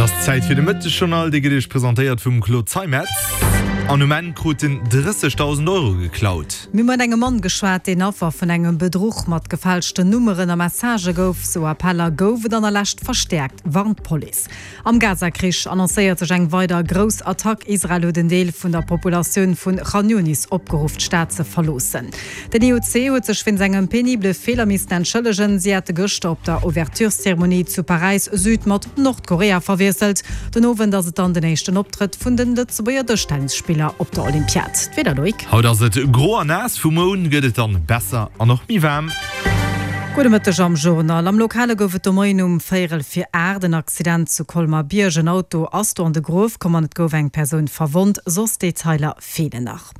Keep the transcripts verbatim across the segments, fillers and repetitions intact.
Et ass Zäit fir de Mëttesjournal, dee gëtt Iech presentéiert vum Claude Zeimetz. An um Enn krut en drëssegdausend Euro geklaut. Mir hu mat engem Mann geschwat, deen Affer vun engem Bedruch mat gefälschten Nummeren a Messagë gouf. Sou Appeller gouf et an der Lescht verstäerkt, warnt d'Police. Am Gaza-Krich annoncéiert sech eng weider grouss Attack. Israel huet en Deel vun der Populatioun vun Chan Yunis opgeruff, d'Stad ze verloossen. Den I O C huet sech wéinst engem penibele Feeler missten entschëllegen. Si hätte gëschter op der Ouvertureszeremonie zu Paräis Süd mat Nordkorea verwiesselt. Den Owend ass et dann den éischten Optrëtt vun den Lëtzebuerger Dëschtennisspiller op der Olympiad. D'Wieder, Loïc? Haut ass et gro an naass, vum Mound gëtt et dann besser an och méi waarm. Gudde Mëtteg am Journal. Am Lokale gouf et de Moien um véierel vir aacht en Accident zu Colmar-Bierg. En Auto ass do an de Gruef komm an et gouf eng Persoun verwonnt. Soss Detailer feelen nach.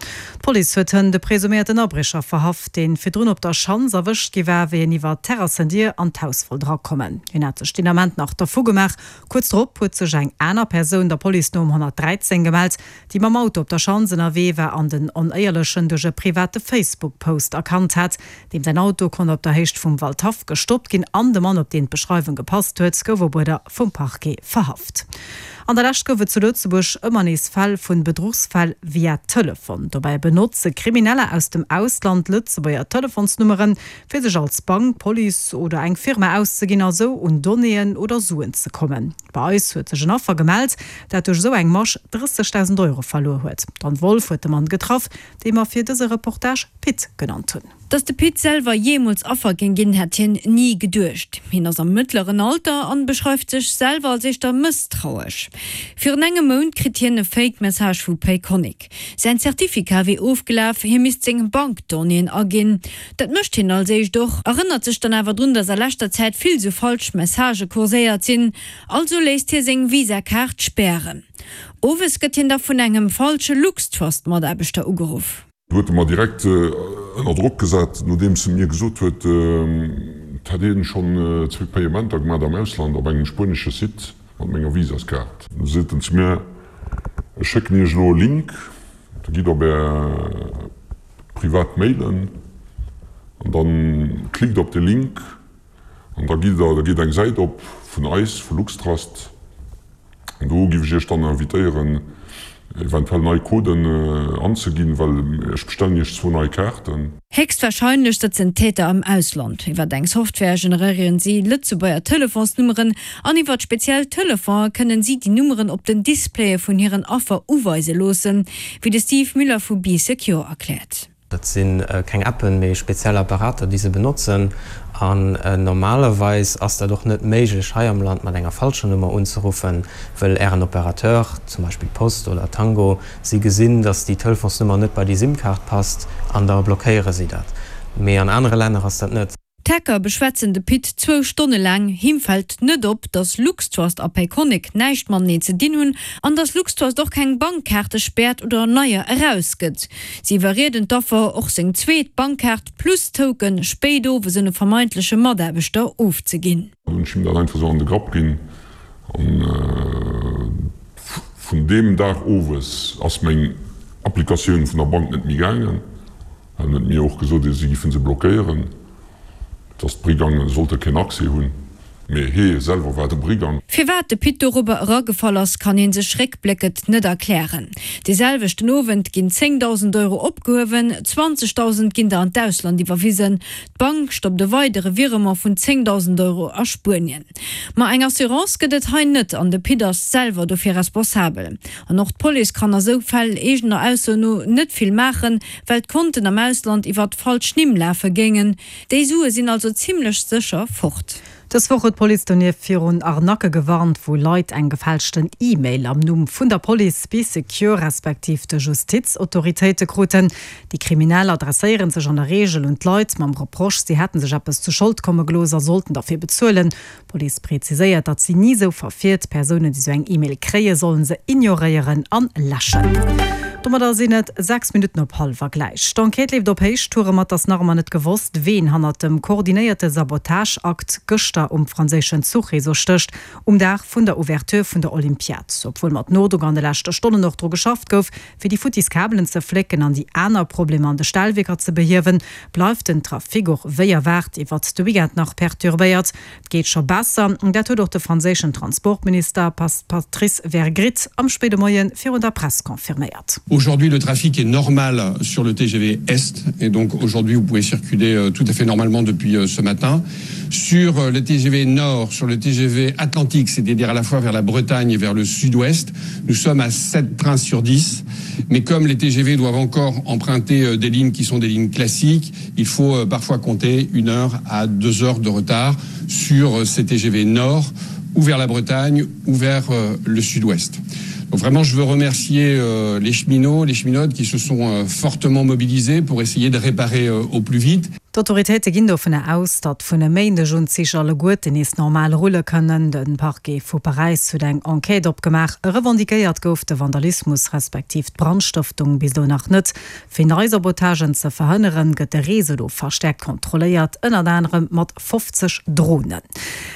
D'Police huet hënt de presuméierten Abriecher verhaft, deen virdrun op der Schanz erwëscht gi war, wéi en iwwer d'Terrassendier an d'Haus wollt erakommen. Hien hat sech deen Ament nach dervu gemaach. Kuerz drop huet sech eng aner Persoun der Police no um honnertdräizéng gemellt, déi mam Auto op der Schanz ënnerwee war an den Onéierlechen duerch e private Facebook-Post erkannt hat. Deem säin Auto konnt op der Héicht vum Waldhaff gestoppt ginn an de Mann, op deen d'Beschreiwung gepasst huet, gouf op Uerder vum Parquet verhaft. An der Lescht gouf et zu Lëtzebuerg ëmmer nees Fäll vun Bedruchsfäll via Telefon. Dobäi benotze Krimineller aus dem Ausland Lëtzebuerger Telefonsnummeren, fir sech als Bank, Police oder eng Firma auszeginn a sou un Donnéeën oder Suen ze kommen. Bei eis huet sech en Affer gemellt, dat duerch esou eng Masch drëssegdausend Euro verluer huet. D'Anne Wolff huet de Mann getraff, dee mer fir dëse Reportage Pit genannt hunn. Dass de Pit selwer jeemools Affer géing ginn, hätt hien ni geduecht. Hien ass am mëttleren Alter an beschreift sech selwer als éischter mësstrauesch. Virun engem Mount kritt hien e Fake-Message vu Payconiq. Säin Zertifikat wier ofgelaf, hie misst seng Bankdonnéeën aginn. Dat mécht hien als éischt och, erënnert sech dann awer drun, dass a leschter Zäit vill sou falsch Messagë kurséiert sinn. Also léisst hie seng Visa-Kaart spären. Owes gëtt hien da vun engem falsche LuxTrust-Mataarbechter ugeruff. Huet e mer direkt ënner Drock gesat, nodeems e mir gesot huet, et hätt een schonn zwee Payementer gemat am Ausland op engem spuenesche Site mat menger Visaskaart. Du seet en zu mir, ech schécken iech elo e Link, da gitt op är privat Mailen an da klickt op de Link an da gitt der, da geet eng Säit op vun eis, vu LuxTrust, an do giff ech iech dann invitéieren, eventuell nei Coden anzeginn, well ech bestellen iech zwou nei Kaarten. Héchstwarscheinlech sëtzen d'Täter am Ausland. Iwwert eng Software generéieren si Lëtzebuerger Telefonsnummeren an iwwert speziell Telefonen kënnen si déi Nummeren op den Displaye vun hiren Affer uweise loossen, wéi de Steve Müller vu Bee Secure erkläert. Dat si keng Appen, mee speziell Apparater, déi se benotzen. An normalerweis ass dat och net méiglech hei am Land mat enger falscher Nummer unzeruffen, wëll Ären Opérateur, zum Beispill Post oder Tango, si gesinn, datt déi Telefonsnummer net bei déi SIM-Kaart passt an da blockéiere si dat. Mee an anere Länner ass dat net. D'Hacker beschwätzen de Pit zwou Stonne laang. Him fält net op, datt LuxTrust a Payconiq näischt mateneen ze dinn hunn an datt LuxTrust och keng Bankkaarte späert oder neier erausgëtt. Si iwwerrieden d'Affer, och seng zweet Bankkaart plus Token spéit owes un e vermeintleche Mataarbechter ofzeginn. Hunn ech him dat einfach sou an de Grapp ginn an vun deem Dag owes ass meng Applikatioun vun der Bank net méi gaangen. Well en huet mir och gesot, si giffen se blockéieren. Dass d'Brigange sollte keen Accès hunn, mee hee selwer war de Brigang. Firwat de Pit dorobber eragefall ass, kann ee sech réckbléckend net erklären. Dee selwechten Owend ginn zéngdausend Euro opgehuewen, zwanzegdausend ginn der an d'Ausland iwwerwisen. D'Bank stoppt e weidere Virement vun zéngdausend Euro a Spuenien. Ma eng Assurance gëtt et hei net an de Pit ass selwer dofir responsabel. An och d'Police kann a sou Fäll eegener Ausso no net vill maachen, well d'Konten am Ausland iwwert falsch Nimm lafe géingen. Déi Sue sinn also zimmlech sécher fort. Dës Woch huet d'Police donieft virun Arnaquë gewarnt, wou Leit eng gefälschten E-Mail am Numm vun der Police, Bee Secure respektiv de Justizautoritéite kruten. Déi Kriminell adresséiere sech an der Reegel un d'Leit mam Reproche, si hätte sech eppes zu Schold komme gelooss a sollten derfir bezuelen. D'Police preziséiert, datt si ni esou verfiert. Persounen, déi esou eng E-Mail kréien, sollen se ignoréieren an läschen. Domadder sinn et sechs Minutten op hallwer gläich. D'Enquête leeft op Héichtouren, ma et ass nach ëmmer net gewosst, ween hannert dem koordinéierte Sabotageakt gëschter um franséischen Zuchreseau stécht, um Dag vun der Ouverture vun der Olympiad. Obwuel mat Nodrock an de leschte Stonnen och dru geschafft gouf, fir déi futtis Kabelen ze flécken an déi aner Problemer an de Stellwierker ze behiewen, bleift den Trafic och wéi erwaart iwwert de Weekend nach perturbéiert. Et geet scho besser, dat huet och de franséischen Transportminister Patrice Vergriete am spéide Moie virun der Press confirméiert. Aujourd'hui, le trafic est normal sur le T G V Est et donc aujourd'hui vous pouvez circuler tout à fait normalement depuis ce matin. Sur le T G V Nord, sur le T G V Atlantique, c'est-à-dire à la fois vers la Bretagne et vers le Sud-Ouest, nous sommes à sept trains sur dix. Mais comme les T G V doivent encore emprunter des lignes qui sont des lignes classiques, il faut parfois compter une heure à deux heures de retard sur ces T G V Nord ou vers la Bretagne ou vers le Sud-Ouest. Donc vraiment, je veux remercier les cheminots, les cheminotes qui se sont fortement mobilisés pour essayer de réparer au plus vite. D'Autoritéite ginn dovunner aus, datt vun e Méindeg un d'Zich alleguerten nees normal rulle kënnen. De Parquet vu Paräis huet eng Enquête opgemaach. Revendiquéiert gouf de Vandalismus respektiv d'Brandstëftung bis elo nach net. Fir nei Sabotagen ze verhënneren, gëtt de Réseau elo verstäerkt kontrolléiert, ënnert anerem mat fofzeg Dronen.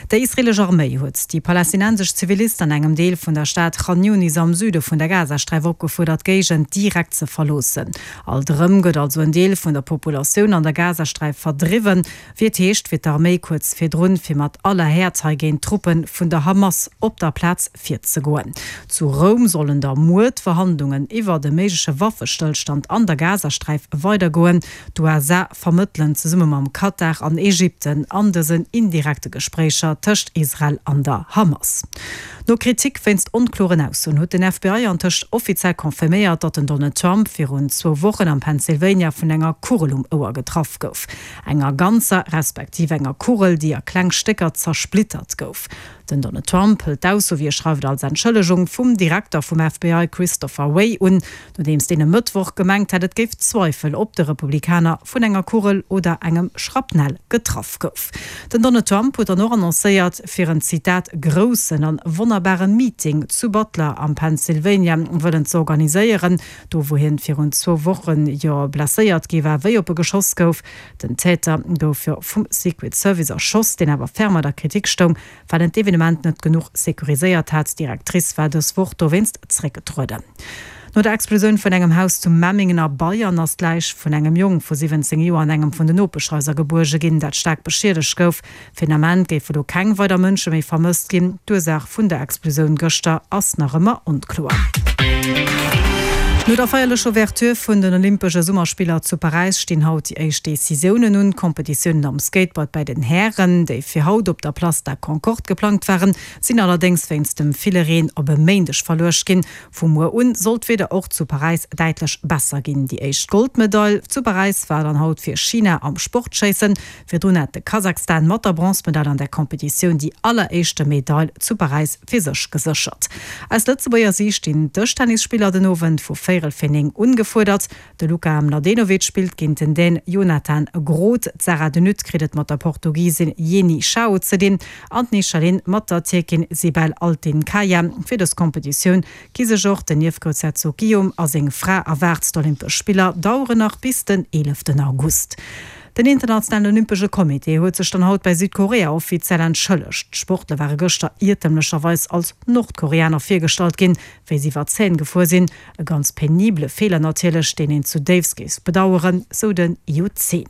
Déi israeelesch Arméi huet déi palästinensesch Zivilisten an engem Deel vun der Stad Khan Younis am Süde vun der Gazasträif opgefuerdert, d'Géigend direkt ze verloossen. Alt erëm gëtt also en Deel vun der Populatioun an der Gazasträif verdriwwen, wéi et heescht, wier d'Arméi kuerz virdrun, fir mat aller Häert hei géint d'Truppe vun der Hamas op der Plaz virzegoen. Zu Roum sollen da muer d'Verhandlungen iwwer de méigleche Waffestëllstand an der Gazasträif weidergoen. D'U S A vermëttelen zesumme mam Katar an Ägypten an dësen indirekte Gespréicher tëscht Israel an der Hamas. No Kritik wéinst onkloren Aussoen huet den F B I antëscht offiziell confirméiert, datt den Donald Trump virun zwou Wochen am Pennsylvania vun enger Kugel um Ouer getraff gouf. Enger ganzer respektiv enger Kugel, déi a kleng Stécker zersplittert gouf. Den Donald Trump hëlt d'Ausso, wéi e schreift, als Entschëllegung vum Direkter vum F B I Christopher Wray un, nodeems deen e Mëttwoch gemengt hätt, et géif Zweifel, ob de Republikaner vun enger Kugel oder engem Schrapnell getraff gouf. Den Donald Trump huet dann och annoncéiert, fir en Zitat groussen an wonnerbare Meeting zu Butler am Pennsylvania wëllen ze organiséieren, do wou hien virun zwou Wochen jo blesséiert gi war, wéi op e geschoss gouf. Den Täter gouf jo vum Secret Service erschoss, deen awer ferm der Kritik stoung, well en d'Evenement net genuch securiséiert hat. D'Directrice war dës Woch dowéinst zréckgetrueden. No der Explosioun vun engem Haus zu Memmingen a Bayern ass d'Läich vun engem Jong vu siwwenzéng Joer an engem vun den Nopeschhaiser gebuerge ginn, dat staark beschiedegt gouf. Fir den Ament géife do keng weider Mënsche méi vermësst ginn. D'Ursaach vun der Explosioun gëschter ass nach ëmmer onkloer. No der feierlecher Ouverture vun den Olympesche Summerspiller zu Paräis stinn haut déi éischt Decisiounen un. Competitiounen am Skateboard bei den Hären, déi fir haut op der Place de la Concorde geplangt waren, sinn allerdéngs wéinst dem ville Reen op e Méindeg verluecht ginn. Vu muer un soll d'Wieder och zu Paräis däitlech besser ginn. Déi éischt Goldmedail zu Paräis war dann haut fir China am Sportschéissen. Virdrun hat de Kasachstan mat der Bronzemedail an der Competitioun déi alleréischte Medail zu Paräis fir sech geséchert. Aus Lëtzebuerger Siicht stinn Dëschtennisspiller den Owend vu véierel fir néng ungefuerdert. De Luka Mladenovic spillt géint den Dän Jonathan Groth. D'Sarah de Nutte kritt et mat der Portugiesin Jenny Schao ze dinn an d'Nichalin mat der Tierkin Sibel Altinkaya. Fir dës Competitioun gi sech och den Niefgroussherzog Guillaume a seng Fra erwaart. D'Olympesch Spiller daueren nach bis den eeleften August. Den Internationalen Olympesche Comité huet sech dann haut bei Südkorea offiziell entschëllegt. D'Sportler ware gëschter iertemlecherweis als Nordkoreaner virgestallt ginn, wéi si iwwer d'Zähn gefuer sinn. E ganz penible Feeler natierlech, deen een zu déifst géif bedaueren, sou den I O C.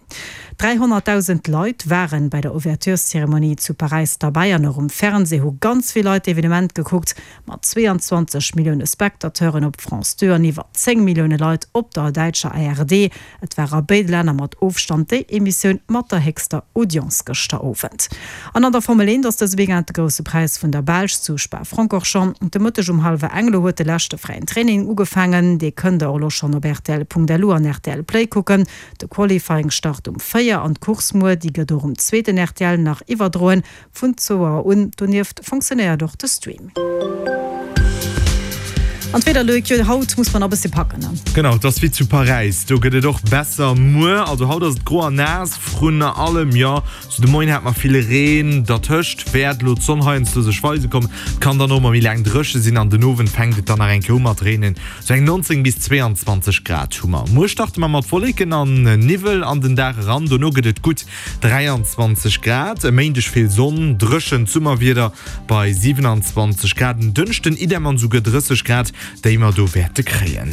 dräihonnertdausend Leit waren bei der Ouvertureszeremonie zu Paräis dabei an och um Fernseh hu ganz vill Leit d'Evenement gekuckt, mat zweiundzwanzeg Millioune Spectateuren op France deux an iwwer zéng Millioune Leit op der däitscher A R D. Et war a béide Länner mat Ofstand déi Emissioun mat der héchster Audience gëschter Owend. An an der Formel eent ass dëse Weekend de grousse Präis vun der Belsch zu Spa-Francorchamps. De Mëtteg um hallwer eng elo huet de leschte fräien Training ugefaangen. Dee kënnt der och elo schonn op R T L Punkt L U an R T L Play kucken. De Qualifying start um véier an d'Course muer, déi gëtt och um zweeten R T L nach iwwerdroen vun zwou Auer un. Donieft funktionéiert och de Stream. An d'Wieder, Loïc, jo haut muss mer nach e bësse packen, ne? Genau, et ass wéi zu Paräis, do gëtt et och besser muer. Also haut ass et gro an naass, vrun allem, jo, sou de Moien hat mer vill Reen, dertëscht wäert elo d'Sonn heiansdo sech weise kommen. Et kann dann och mol méi laang dréche sinn an den Owend fänkt et dann nach eng Kéier u mat reenen. Sou eng neunzéng bis zweeanzwanzeg Grad hu mer. Muer starte mer mat Wolleken an Niwwel an den Dag eran, dono gëtt et gutt dräianzwanzeg Grad. E Méindeg vill Sonn, dréchent Summerwieder bei siwenanzwanzeg Grad. En Dënschden idem an esouguer drësseg Grad, déi mer do wäerte kréien.